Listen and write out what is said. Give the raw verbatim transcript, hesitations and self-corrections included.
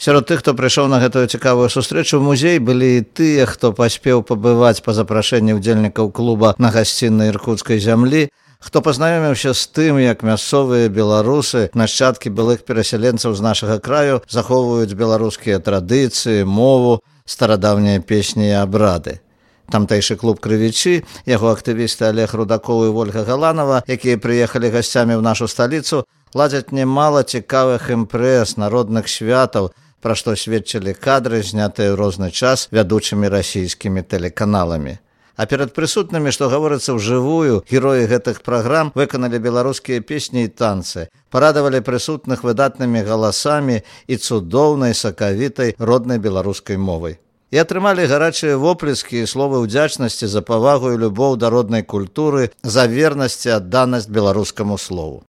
Сярод тых, хто прыйшоў на гэтую цікавую сустрэчу ў музей, былі і тыя, хто паспеў пабываць па запрашэнні ўдзельнікаў клуба на гасціннай іркуцкай зямлі, хто пазнаёміўся з тым, як мясцовыя беларусы, нашчадкі былых перасяленцаў з нашага краю, захоўваюць беларускія традыцыі, мову, старадаўнія песні і абрады. Тамтэйшы клуб «Крывічы», яго актывісты Олег Рудакоў і Вольга Галанова, якія прыехалі гасцямі ў нашу сталіцу, ладзяць немала цікавых імпрэз, народных святаў, пра што сведчылі кадры, знятыя ў розны час вядучымі расійскімі тэлеканаламі. А перад прысутнымі, што гаворыцца ўжывую, героі гэтых праграм выканалі беларускія песні і танцы, парадавалі прысутных выдатнымі галасамі і цудоўнай сакавітай роднай беларускай мовай. І атрымалі гарачыя воплескі і словы ўдзячнасці за павагу і любоў да роднай культуры, за вернасць і адданасць беларускаму слову.